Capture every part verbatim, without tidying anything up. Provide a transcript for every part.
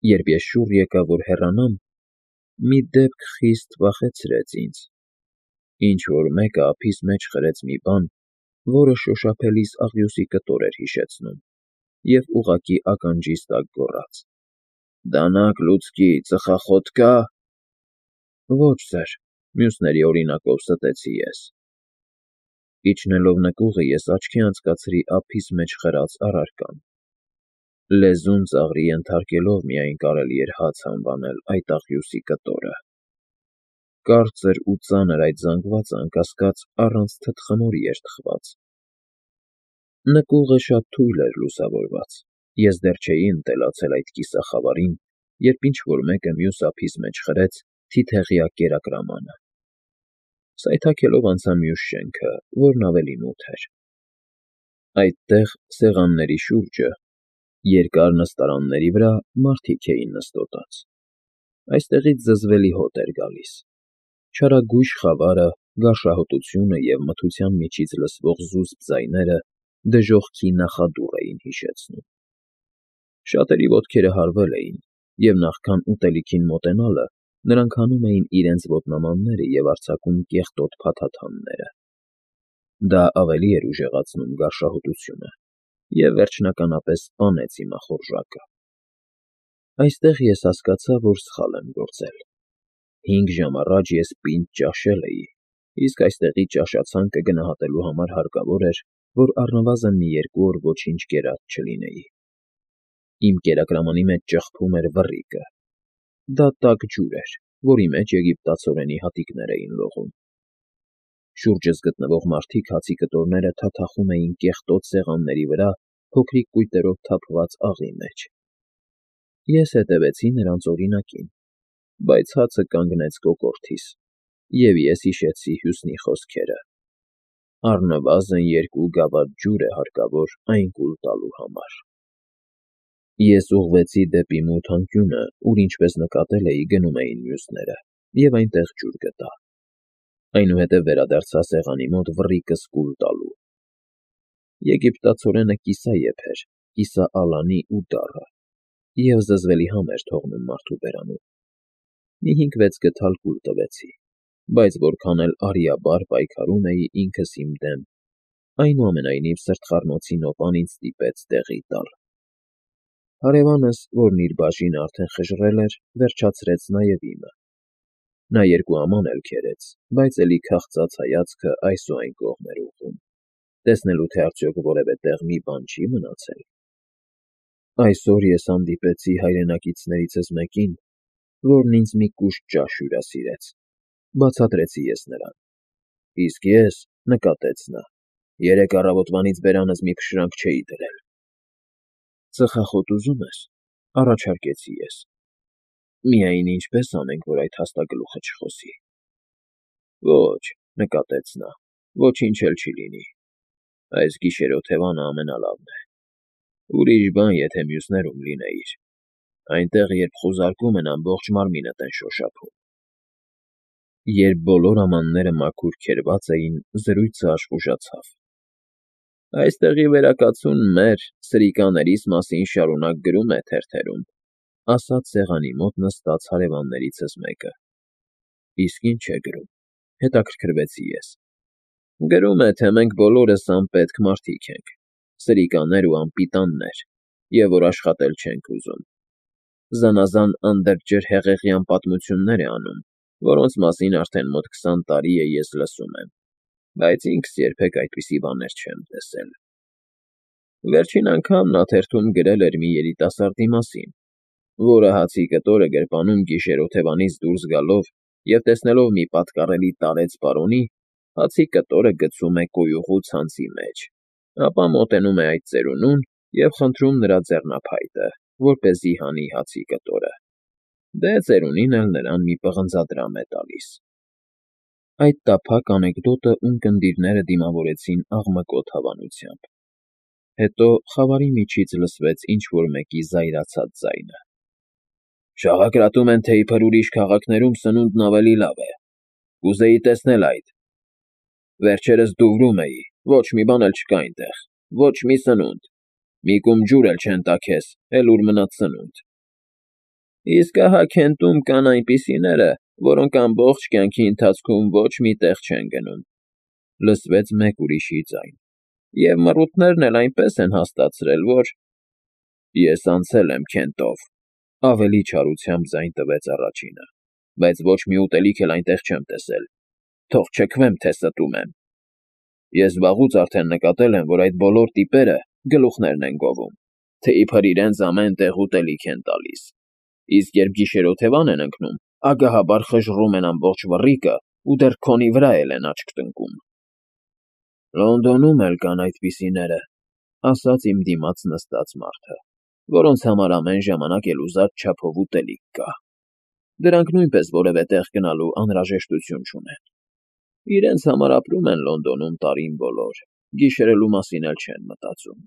Երբ ես շուռ եկա, որ հեռանամ, մի դեպք խիստ վախեցրեց ինձ. ինչ֊որ մեկը ափիս մեջ խրեց մի բան, որը շոշափելիս աղյուսի կտոր էր հիշեցնում, և ուղղակի ականջիս տակ գոռաց. ֊ Դանակ լուցկի, ծխախոտ կա՞։ ֊ Ոչ, սըր, ֊ մյուսների օրինակով ստեցի ես։ Իջնելով նկուղը, ես աչքի անցկացրի ափիս մեջ խրած առարկան. լեզուն ծաղրի ենթարկելով միայն կարելի էր հաց անվանել այդ աղյուսի կտորը։ Կարծր ու ծանր այդ զանգվածը, անկասկած, առանց թթխմորի էր թխված։ Նկուղը շատ թույլ էր լուսավորված, ես դեռ չէի ընտելացել այդ կիսախավարին, երբ ինչ֊որ մեկը մյուս ափիս մեջ խրեց թիթեղյա կերակրամանը։ Սայթաքելով անցա մյուս շենքը, որն ավելի մութ էր։ Այդտեղ, սեղանների շուրջը, երկար նստարանների վրա մարդիկ էին նստոտած։ Այստեղից զզվելի հոտ էր գալիս։ Չարագույժ խավարը, գարշահոտությունը և մթության միջից լսվող զուսպ ձայները դժոխքի նախադուռ էին հիշեցնում։ Շատերի ոտքերը հարվել էին, և նախքան ուտելիքին մոտենալը, նրանք հանում էին իրենց ոտնամանները և արձակում կեղտոտ փաթաթանները։ Դա ավելի էր ուժեղացնում գարշահոտությունը և վերջնականապես սպանեց իմ ախորժակը։ Այստեղ ես հասկացա, որ սխալ եմ գործել։ Հինգ ժամ առաջ ես պինդ ճաշել էի, իսկ այստեղի ճաշացանկը գնահատելու համար հարկավոր էր, որ առնվազն մի երկու օր ոչինչ կերած չլինեի։ Իմ կերակրամանի մեջ ճխփում էր վռիկը։ Դա տաք ջուր էր, որի մեջ եգիպտացորենի հատիկներ էին լողում։ Շուրջս գտնվող մարդիկ հացի կտորները թաթախում էին կեղտոտ սեղանների վրա փոքրիկ կույտերով թափված աղի մեջ։ Ես հետևեցի նրանց օրինակին, բայց հացը կանգնեց կոկորդիս, և ես հիշեցի Հյուսնի խոսքերը. առնվազն երկու գավաթ ջուր է հարկավոր այն կուլ տալու համար։ Ես ուղղվեցի դեպի մութ անկյունը, ուր, ինչպես նկատել էի, գնում էին մյուսները, և այնտեղ ջուր գտա։ Այնուհետև վերադարձա սեղանի մոտ վռիկս կուլ տալու։ Եգիպտացորենը կիսաեփ էր, կիսաալանի ու դառը, և զզվելի համ էր թողնում մարդու բերանում։ Մի հինգ֊վեց գդալ կուլ տվեցի, բայց որքան էլ արիաբար պայքարում էի ինքս իմ դեմ, այնուամենայնիվ սրտխառնոցի նոպան ինձ ստիպեց տեղի տալ։ Հարևանս, որն իր բաժինը արդեն խժռել էր, վերջացրեց նաև իմը։ Նա երկու աման էլ քերեց, բայց էլի քաղցած հայացքը այս ու այն կողմ էր ուղղում, տեսնելու, թե արդյոք որևէ տեղ մի բան չի մնացել։ Այսօր ես հանդիպեցի հայրենակիցներիցս մեկին, որն ինձ մի կուշտ ճաշ հյուրասիրեց, ֊ բացատրեցի ես նրան։ ֊ Իսկ ես, ֊ նկատեց նա, ֊ երեկ առավոտվանից բերանս մի փշրանք չէի դրել։ ֊ Ծխախոտ ուզո՞ւմ ես, ֊ առաջարկեցի ես։ ֊ Միայն ինչպե՞ս անենք, որ այդ հաստագլուխը չխոսի։ ֊ Ոչ, ֊ նկատեց նա, ֊ ոչինչ էլ չի լինի։ Այս գիշերօթևանը ամենալավն է։ Ուրիշ բան, եթե մյուսներում լինեիր, այնտեղ, երբ խուզարկում են, ամբողջ մարմինդ են շոշափում։ Երբ բոլոր ամանները մաքուր քերված էին, զրույցը աշխուժացավ։ ֊ Այստեղի վերակացուն մեր, սրիկաներիս մասին շարունակ գրում է թերթերում, ֊ ասաց սեղանի մոտ նստած հարևաններիցս մեկը։ ֊ Իսկ ի՞նչ է գրում, ֊ հետաքրքրվեցի ես։ ֊ Գրում է, թե մենք բոլորս անպետք մարդիկ ենք, սրիկաներ ու անպիտաններ, և որ աշխատել չենք ուզում։ Զանազան անդրջր֊հեղեղյան պատմություններ է անում, որոնց մասին արդեն մոտ քսան տարի է ես լսում եմ, բայց ինքս երբեք այդպիսի բաներ չեմ տեսել։ Վերջին անգամ նա թերթում գրել էր մի երիտասարդի մասին, որը հացի կտորը գրպանում գիշերօթևանից դուրս գալով և տեսնելով մի պատկառելի տարեց պարոնի, հացի կտորը գցում է կոյուղու ցանցի մեջ, ապա մոտենում է այդ ծերունուն և խնդրում նրա ձեռնափայտը, որպեսզի հանի հացի կտորը։ Դե ծերունին էլ նրան մի պղնձադրամ է տալիս։ Այդ տափակ անեկդոտը ունկնդիրները դիմավորեցին աղմկոտ հավանությամբ։ Հետո խավարի միջից լսվեց ինչ֊որ մեկի զայրացած ձայնը. ֊ Շաղակրատում են, թե իբր ուրիշ քաղաքներում սնունդն ավելի լավ է, կուզեի տեսնել այդ։ Վերջերս Դուվրում էի, ոչ մի բան էլ չկա այնտեղ, ոչ մի սնունդ, մի կում ջուր էլ չեն տա քեզ, էլ ուր մնաց սնունդ։ Իսկ ահա Քենտում կան այնպիսիները, որոնք ամբողջ կյանքի ընթացքում ոչ մի տեղ չեն գնում,֊ լսվեց մեկ ուրիշի ձայն,֊ և մռութներն էլ այնպես են հաստատցրել, որ… Ես անցել եմ Քենտով,֊ ավելի չարությամբ ձայն տվեց առաջինը,֊ բայց ոչ մի ուտելիք էլ այնտեղ չեմ տեսել, թող չքվեմ, թե ստում եմ… Ես վաղուց արդեն նկատել եմ, որ այդ բոլոր տիպերը գլուխներն են գովում, թե իբր իրենց ամեն տեղ ուտելիք են տալիս, իսկ երբ գիշերօթևան են ընկնում, ագահաբար խժռում են ամբողջ վռիկը ու դեռ քոնի վրա էլ են աչք տնկում։ Լոնդոնում էլ կան այդպիսիները, ասաց իմ դիմաց նստած մարդը, որոնց համար ամեն ժամանակ էլ ուզած չափով ուտելիք կա։ Դրանք նույնպես որևէ տեղ գնալու անհրաժեշտություն չունեն։ Իրենց համար ապրում են Լոնդոնում տարին բոլոր, գիշերելու մասին էլ չեն մտածում։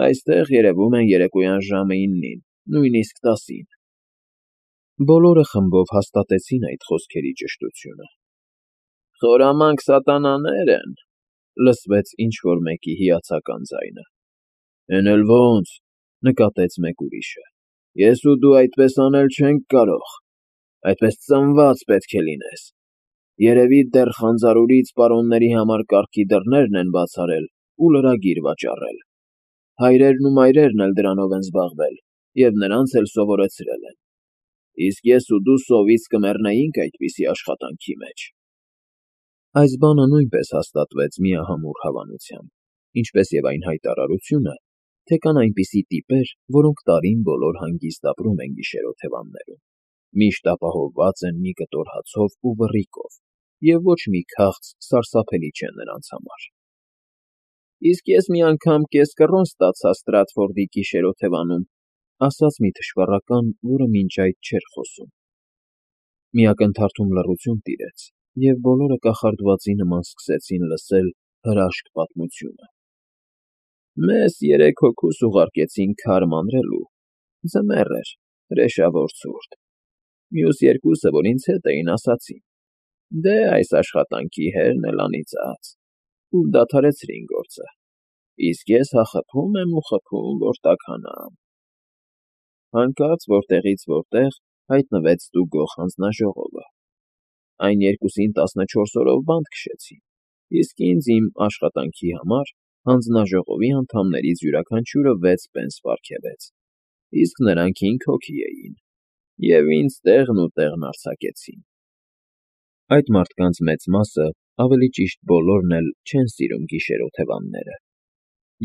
Այստեղ երևում են երեկոյան ժամը իննին, նույնիսկ տասին։ Բոլորը խմբով հաստատեցին այդ խոսքերի ճշտությունը։ Խորամանկ սատանաներ են,֊ լսվեց ինչ-որ մեկի հիացական ձայնը։ Էն էլ ո՜նց,֊ նկատեց մեկ ուրիշը։ Ես ու դու այդպես անել չենք կարող, այդպես ծնված պետք է լինես։ Երևի դեռ Խանձարուրից պարոնների համար կառքի դռներն են բաց արել ու լրագիր վաճառել։ Հայրերն ու մայրերն էլ դրանով են զբաղվել և նրանց էլ սովորեցրել են։ Իսկ ես ու դու սովից կմեռնեինք այդպիսի աշխատանքի մեջ։ Այս բանը նույնպես հաստատվեց միահամուռ հավանությամբ, ինչպես և այն հայտարարությունը, թե կան այնպիսի տիպեր, որոնք տարին բոլոր հանգիստ ապրում են գիշերօթևաններում, միշտ ապահովված են մի կտոր հացով ու վռիկով, և ոչ մի քաղց սարսափելի չէ նրանց համար։ Իսկ ես մի անգամ կես կռոն ստացա Ստրատֆորդի գիշերօթևանում,֊ ասաց մի թշվառական, որը մինչ այդ չէր խոսում։ Մի ակնթարթում լռություն տիրեց, և բոլորը կախարդվածի նման սկսեցին լսել հրաշք պատմությունը։ Մեզ երեք հոգուս ուղարկեցին քար մանրելու, ձմեռ էր, հրեշավոր ցուրտ։ Մյուս երկուսը, որ ինձ հետ էին, ասացին. «Դե, այս աշխատանքի հերն էլ անիծած», ու դադարեցրին գործը, իսկ ես հա խփում եմ ու խփում, որ տաքանամ։ Հանկարծ որտեղից որտեղ հայտնվեց ստուգող հանձնաժողովը։ Այն երկուսին տասնչորս օրով բանտ քշեցին, իսկ ինձ իմ աշխատանքի համար հանձնաժողովի անդամներից յուրաքանչյուրը վեց պենս պարգևեց, իսկ նրանք հինգ հոգի էին, և ինձ տեղն ու տեղն արձակեցին։ Այդ մարդկանց մեծ մասը, ավելի ճիշտ բոլորն էլ չեն սիրում գիշերօթևանները,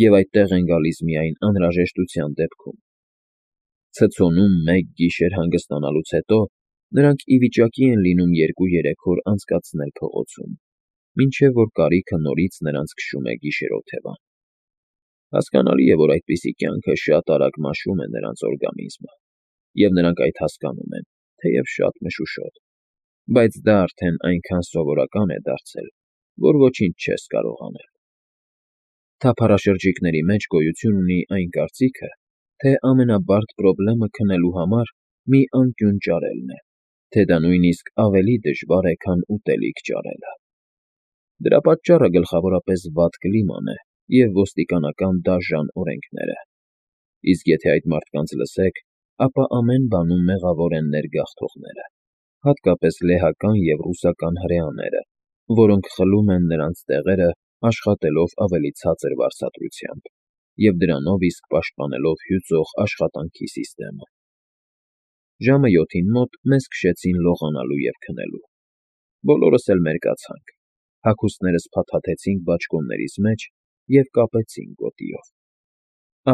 և այդտեղ են գալիս միայն անհրաժեշտության դեպքում։ Ցցոնում մեկ գիշեր հանգստանալուց հետո նրանք ի վիճակի են լինում երկու֊երեք օր անցկացնել փողոցում, մինչև որ կարիքը նորից նրանց քշում է գիշերօթևան։ Հասկանալի է, որ այդպիսի կյանքը շատ արագ մաշում է նրանց օրգանիզմը, և նրանք այդ հասկանում են, թեև շատ մշուշոտ, բայց դա արդեն այնքան սովորական է դարձել, որ ոչինչ չես կարող անել։ Թափառաշրջիկների մեջ գոյություն ունի այն կարծիքը, թե ամենաբարդ պրոբլեմը քնելու համար մի անկյուն ճարելն է, թե դա նույնիսկ ավելի դժվար է, քան ուտելիք ճարելը։ Դրա պատճառը գլխավորապես վատ կլիման է և ոստիկանական դաժան օրենքները։ Իսկ եթե այդ մարդկանց լսեք, ապա ամեն բանում մեղավոր են ներգաղթողները, հատկապես լեհական և ռուսական հրեաները, որոնք խլում են նրանց տեղերը աշխատելով ավելի ցածր վարձատրությամբ և դրանով իսկ պաշտպանելով հյուծող աշխատանքի սիստեմը։ Ժամը յոթին մոտ մեզ քշեցին լողանալու և քնելու։ Բոլորս էլ մերկացանք, հագուստներս փաթաթեցինք բաճկոններիս մեջ և կապեցինք գոտիով։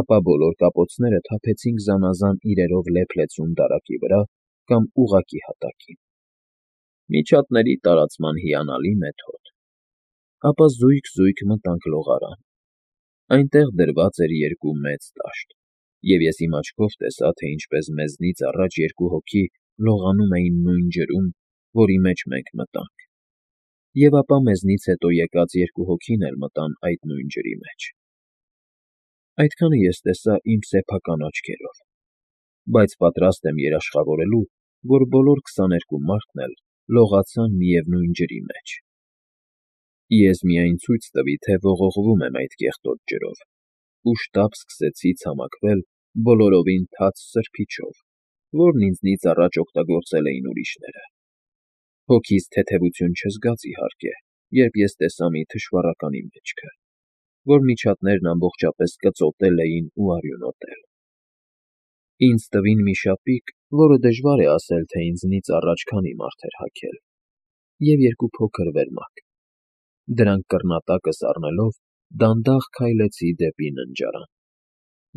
Ապա բոլոր կապոցները թափեցինք զանազան իրերով լեփ-լեցուն դարակի վրա կամ ուղղակի հատակին։ Միջատների տարածման հիանալի մեթոդ։ Ապա զույգ֊զույգ մտանք լողարան։ Այնտեղ դրված էր երկու մեծ տաշտ, և ես իմ աչքով տեսա, թե ինչպես մեզնից առաջ երկու հոգի լողանում էին նույն ջրում, որի մեջ մենք մտանք, և ապա մեզնից հետո եկած երկու հոգին էլ մտան այդ նույն ջրի մեջ։ Այդքանը ես տեսա իմ սեփական աչքերով, բայց պատրաստ եմ երաշխավորելու, որ բոլոր քսաներկու մարդն էլ լողացան միևնույն ջրի մեջ։ Ես միայն ցույց տվի, թե ողողվում եմ այդ կեղտոտ ջրով, ու շտապ սկսեցի ցամաքվել բոլորովին թաց սրբիչով, որն ինձնից առաջ օգտագործել էին ուրիշները։ Հոգիս թեթևություն չզգաց, իհարկե, երբ ես տեսա մի թշվառականի մեջքը, որ միջատներն ամբողջապես կծոտել էին ու արյունոտել։ Ինձ տվին մի շապիկ, որը դժվար է ասել, թե ինձնից առաջ քանի մարդ էր հագել, և երկու փոքր վերմակ։ Դրանք կռնատակս առնելով դանդաղ քայլեցի դեպի ննջարան։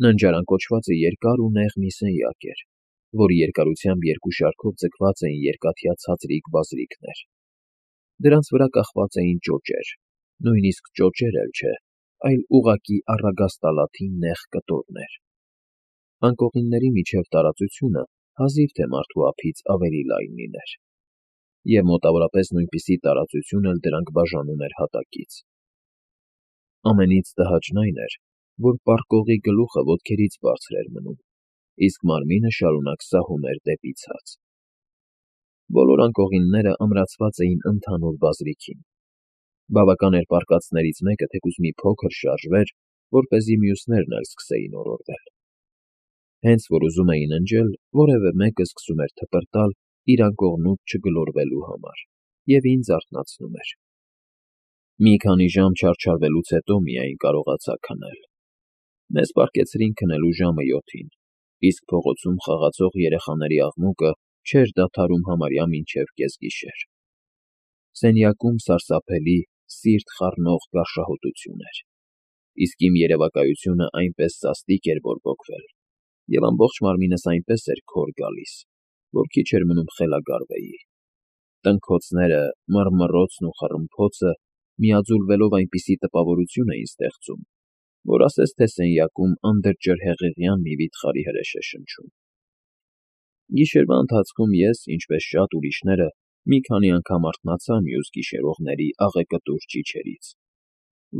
Ննջարան կոչվածը երկար ու նեղ մի սենյակ էր, որի երկարությամբ երկու շարքով ձգված էին երկաթյա ցածրիկ բազրիքներ։ Դրանց վրա կախված էին ճոճեր, նույնիսկ ճոճեր էլ չէ, այլ ուղղակի առագաստալաթի նեղ կտորներ։ Անկողինների միջև տարածությունը հազիվ թե մարդու ափից ավելի լայն լիներ, և մոտավորապես նույնպիսի տարածություն էլ դրանք բաժանում էր հատակից։ Ամենից տհաճն այն էր, որ պառկողի գլուխը ոտքերից բարձր էր մնում, իսկ մարմինը շարունակ սահում էր դեպի ցած։ Բոլոր անկողինները ամրացված էին ընդհանուր բազրիքին։ Բավական էր պառկածներից մեկը թեկուզ մի փոքր շարժվեր, որպեսզի մյուսներն էլ սկսեին օրորվել։ Հենց որ ուզում էի ննջել, որևէ մեկը սկսում էր թպրտալ իր անկողնուց չգլորվելու համար և ինձ արթնացնում էր։ Մի քանի ժամ չարչարվելուց հետո միայն կարողացա քնել։ Մեզ պառկեցրին քնելու ժամը յոթին, իսկ փողոցում խաղացող երեխաների աղմուկը չէր դադարում համարյա մինչև կեսգիշեր։ Սենյակում սարսափելի, սիրտ խառնող գարշահոտություն էր, իսկ իմ երևակայությունը այնպես սաստիկ էր բորբոքվել, և ամբողջ մարմինս այնպես էր քոր գալիս, որ քիչ էր մնում խելագարվեի։ Տնքոցները, մռմռոցն ու խռմփոցը միաձուլվելով այնպիսի տպավորություն էին ստեղծում, որ ասես թե սենյակում անդրջրհեղեղյան մի վիթխարի հրեշ է շնչում։ Գիշերվա ընթացքում ես, ինչպես շատ ուրիշները, մի քանի անգամ արթնացա մյուս գիշերողների աղեկտուր ճիչերից,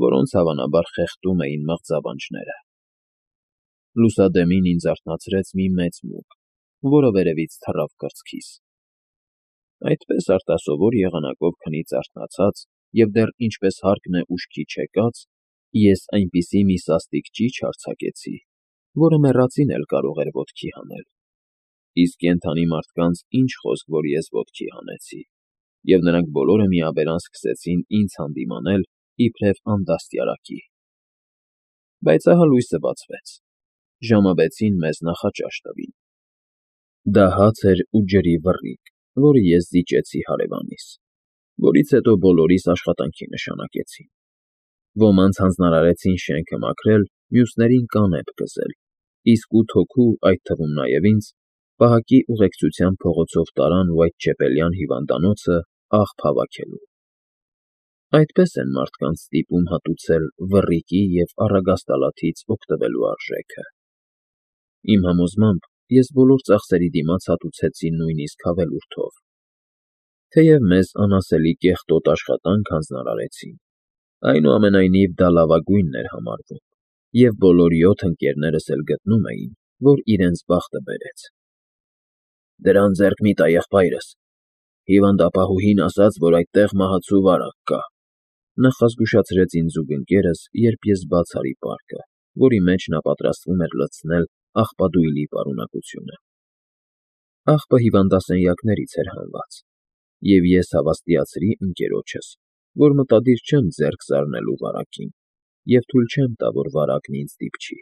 որոնց հավանաբար խեղդում էին մղձավանջները։ Լուսադեմին ինձ արթնացրեց մի մեծ մուկ, որը վերևից թռավ կրծքիս։ Այդպես արտասովոր եղանակով քնից արթնացած և դեռ ինչպես հարկն է ուշքի չեկած, ես այնպիսի մի սաստիկ ճիչ արձակեցի, որը մեռածին էլ կարող էր ոտքի հանել։ Իսկ կենդանի մարդկանց ինչ խոսք, որ ես ոտքի հանեցի, և նրանք բոլորը միաբերան սկսեցին ինձ հանդիմանել իբրև andastիարակի։ Բայց ահա լույսը բացվեց։ Ժամը վեցին մեզ նախաճաշ տվին։ Դա հաց էր ու ջրի վռիկ, որը ես զիջեցի հարևանիս, որից հետո բոլորիս աշխատանքի նշանակեցին։ Ոմանց հանձնարարեցին շենքը մաքրել, մյուսներին կանեփ կզել, իսկ ութ հոգու, այդ թվում նաև ինձ, պահակի ուղեկցությամբ փողոցով տարան Վայթչեպելյան հիվանդանոցը աղբ հավաքելու։ Այդպես են մարդկանց ստիպում հատուցել վռիկի և առագաստալաթից օգտվելու արժեքը։ Իմ համոզմամբ, ես բոլոր ծախսերի դիմաց հատուցեցի նույնիսկ հավելորդով։ Թեև մեզ անասելի կեղտոտ աշխատանք հանձնարարեցին, այնուամենայնիվ դա լավագույնն էր համարվում, և բոլոր յոթ ընկերներս էլ գտնում էին, որ իրենց բախտը բերեց։ «Դրան ձեռք մի տա եղբայրս, հիվանդապահուհին ասաց, որ այդտեղ մահացու վարակ կա», նախազգուշացրեց ինձ զուգընկերս, երբ ես բաց արի պարկը, որի մեջ նա պատրաստվում էր լցնել աղբադույլի պարունակությունը։ Աղբը հիվանդասենյակներից էր հանված, և ես հավաստիացրի ընկերոջս, որ մտադիր չեմ ձեռք զարնելու վարակին և թույլ չեմ տա, որ վարակն ինձ դիպչի։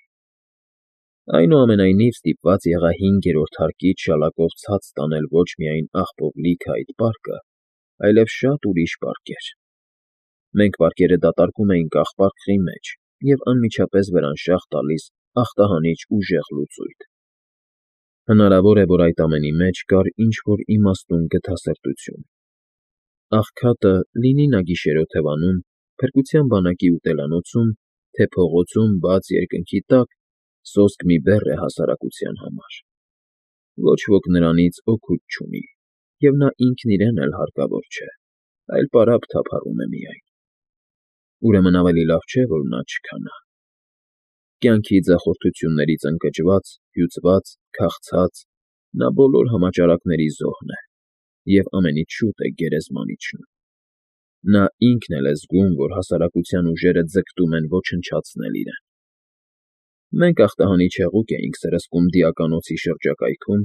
Այնուամենայնիվ ստիպված եղա հինգերորդ հարկից շալակով ցած տանել ոչ միայն աղբով լիքը այդ պարկը, այլև շատ ուրիշ պարկեր։ Մենք պարկերը դատարկում էինք աղբակղի մեջ և անմիջապես վրանշաղ տալիս ախտահանիչ ուժեղ լուծույթ։ Հնարավոր է, որ այդ ամենի մեջ կար ինչ֊որ իմաստուն գթասրտություն։ Աղքատը, լինի նա գիշերօթևանում, փրկության բանակի ուտելանոցում, թե փողոցում բաց երկնքի տակ, սոսկ մի բեռ է հասարակության համար։ Ոչ ոք նրանից օգուտ չունի, և նա ինքն իրեն էլ հարկավոր չէ, այլ պարապ թափառում է միայն։ Ուրեմն ավելի լավ չէ, որ նա չքանա։ Կյանքի ձախորդություններից ընկճված, հյուծված, քաղցած, նա բոլոր համաճարակների զոհն է և ամենից շուտ է գերեզման իջնում։ Նա ինքն էլ է զգում, որ հասարակության ուժերը ձգտում են ոչնչացնել իրեն։ Մենք ախտահանիչ հեղուկ էինք սրսկում Դիականոցի շրջակայքում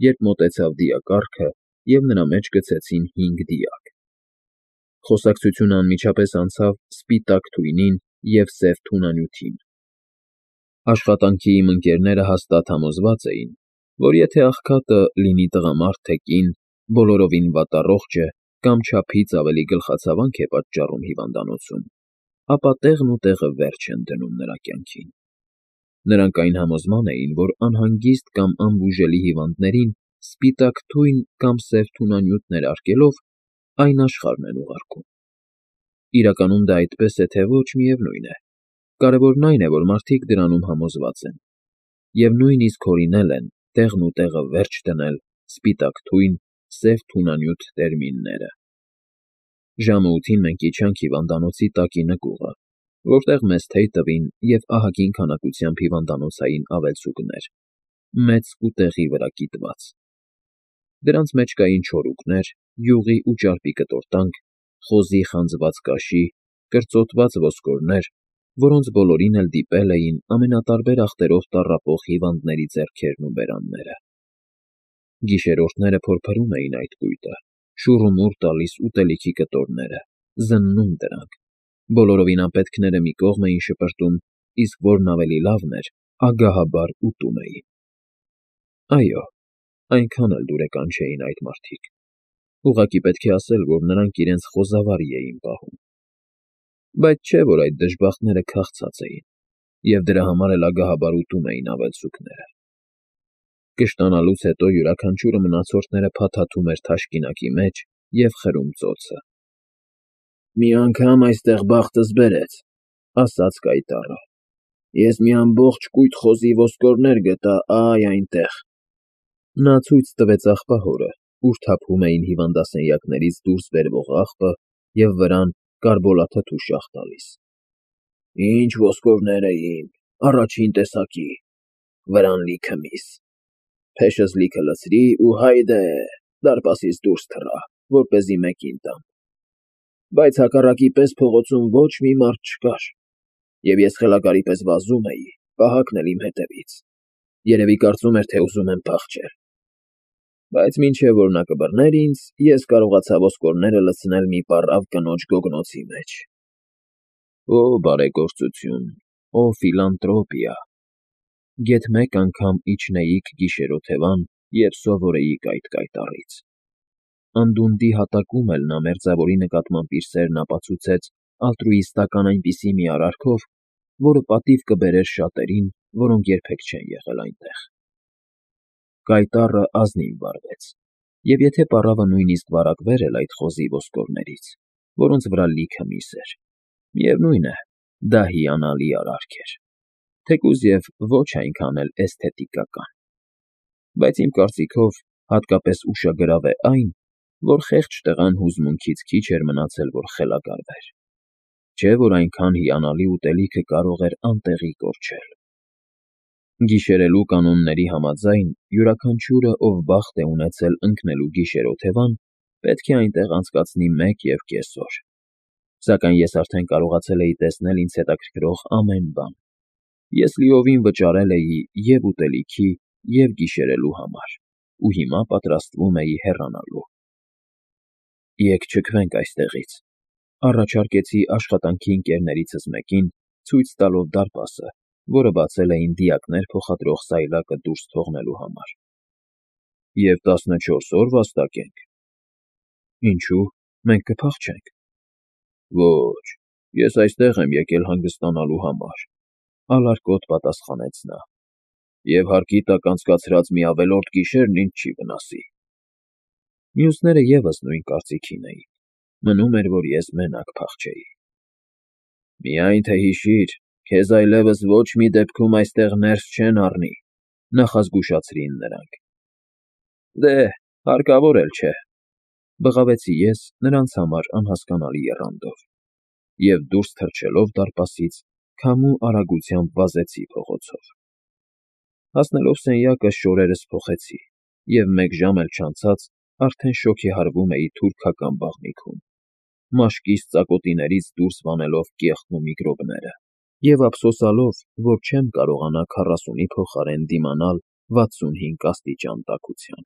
երբ մոտեցավ դիակառքը և նրա մեջ գցեցին հինգ դիակ։ Խոսակցությունը անմիջապես անցավ սպիտակ թույնին և սև թունանյութին։ Աշխատանքի իմ ընկերները հաստատ համոզված էին, որ եթե աղքատը, լինի տղամարդ թե կին, բոլորովին վատառողջ է կամ չափից ավելի գլխացավանք է պատճառում հիվանդանոցում, ապա տեղն ու տեղը վերջ են դնում նրա կյանքին։ Նրանք այն համոզման էին, որ անհանգիստ կամ անբուժելի հիվանդներին սպիտակ թույն կամ սև թունանյութ ներարկելով այն աշխարհն են ուղարկում։ Իրականում դա այդպես է, թե ոչ, միևնույն է, կարևորն այն է, որ մարդիկ դրանում համոզված են և նույնիսկ հորինել են տեղն ու տեղը վերջ դնել սպիտակ թույն, սև թունանյութ տերմինները։ Ժամը ութին մենք իջանք հիվանդանոցի տակի նկուղը, որտեղ մեզ թեյ տվին և ահագին քանակությամբ հիվանդանոցային ավելցուկներ, մեծ կուտեղի վրա կիտված։ Դրանց մեջ կային չորուկներ, յուղի ու ճարպի կտորտանք, խոզի խանձված կաշի, կրծոտված ոսկորներ, որոնց բոլորին էլ դիպել էին ամենատարբեր ախտերով տառապող հիվանդների ձեռքերն ու բերանները։ Գիշերօրհները փորփրում էին այդ կույտը, շուռումուռ տալիս ուտելիքի կտորները, զննում դրանք, բոլորովին անպետքները մի կողմ էին շպրտում, իսկ որն ավելի լավն էր, ագահաբար ուտում էին։ Այո, այնքան էլ դուրեկան չէին այդ մարդիկ, ուղղակի պետք է ասել, որ նրանք իրենց խոզավարի էին պահում։ Բայց չէ՞ որ այդ դժբախտները քաղցած էին, և դրա համար էլ ագահաբար ուտում էին ավելցուկները։ Կշտանալուց հետո յուրաքանչյուրը մնացորդները փաթաթում էր թաշկինակի մեջ և խրում ծոցը։ «Մի անգամ այստեղ բախտս բերեց,֊ ասաց կայտառը,֊ ես մի ամբողջ կույտ խոզի ոսկորներ գտա ա՜յ այնտեղ»։ Նա ցույց տվեց աղբահորը, ուր թափում էին հիվանդասենյակներից դուրս բերվող աղբը և վրան կարբոլաթթու շաղ տալիս։ «Ինչ ոսկորներ էին, առաջին տեսակի, վրան լիքը միս։ Փեշս լիքը լցրի ու հայդե, դարպասից դուրս թռա, որպեսզի մեկին տամ։ Բայց հակառակի պես փողոցում ոչ մի մարդ չկար, և ես խելագարի պես վազում էի, պահակն էլ իմ հետևից, երևի կարծում էր, թե ուզում եմ փախչել։ Բայց մինչև որ նա կբռներ ինձ, ես կարողացա ոսկորները լցնել մի պառավ կնոջ գոգնոցի մեջ։ Օ բարեգործություն, օ ֆիլանտրոպիա… Գեթ մեկ անգամ իջնեիք գիշերօթևան, և սովորեիք այդ կայտառից։ Անդունդի հատակում էլ նա մերձավորի նկատմամբ իր սերն ապացուցեց ալտրուիստական այնպիսի մի արարքով, որը պատիվ կբերեր շատերին, որոնք երբեք չեն եղել այնտեղ։ Կայտառը ազնիվ վարվեց, և եթե պառավը նույնիսկ վարակվեր էլ այդ խոզի ոսկորներից, որոնց վրա լիքը միս էր, միևնույն է, դա հիանալի արարք էր, թեկուզ և ոչ այնքան էլ էսթետիկական։ Բայց իմ կարծիքով հատկապես ուշագրավ է այն, որ խեղճ տղան հուզմունքից քիչ էր մնացել, որ խելագարվեր, չէ՞ որ այնքան հիանալի ուտելիքը կարող էր անտեղի կորչել։ Գիշերելու կանոնների համաձայն յուրաքանչյուրը, ով բախտ է ունեցել ընկնելու գիշերօթևան, պետք է այնտեղ անցկացնի մեկ և կես օր, սակայն ես արդեն կարողացել էի տեսնել ինձ հետաքրքրող ամեն բան։ Ես լիովին վճարել էի և՛ ուտելիքի, և՛ գիշերելու համար ու հիմա պատրաստվում էի հեռանալու։ Եկ չքվենք այստեղից, առաջարկեցի աշխատանքի ընկերներիցս մեկին, ցույց տալով դարպասը, որը բացել էին դիակներ փոխադրող սայլակը դուրս թողնելու համար։ Եվ տասնչորս օր վաստակենք։ Ինչո՞ւ, մենք կփախչենք։ Ոչ, ես այստեղ եմ եկել հանգստանալու համար,֊ ալարկոտ պատասխանեց նա,֊ և հարկի տակ անցկացրած մի ավելորդ գիշերն ինձ չի վնասի։ Մյուսները ևս նույն կարծիքին էին, մնում էր, որ ես մենակ փախչեի։ Միայն թե հիշիր, քեզ այլևս ոչ մի դեպքում այստեղ ներս չեն առնի,֊ նախազգուշացրին նրանք։ Դե, հարկավոր էլ չէ,֊ բղավեցի ես նրանց համար անհասկանալի եռանդով, և դուրս թռչելով դարպասից, քամու արագությամբ վազեցի փողոցով։ Հասնելով սենյակը շորերս փոխեցի, և մեկ ժամ էլ չանցած արդեն շոգեհարվում էի թուրքական բաղնիքում, մաշկիս ծակոտիներից դուրս վանելով կեղտն ու միկրոբները, և ափսոսալով, որ չեմ կարողանա քառասունի փոխարեն դիմանալ վաթսունհինգ աստիճան տաքության։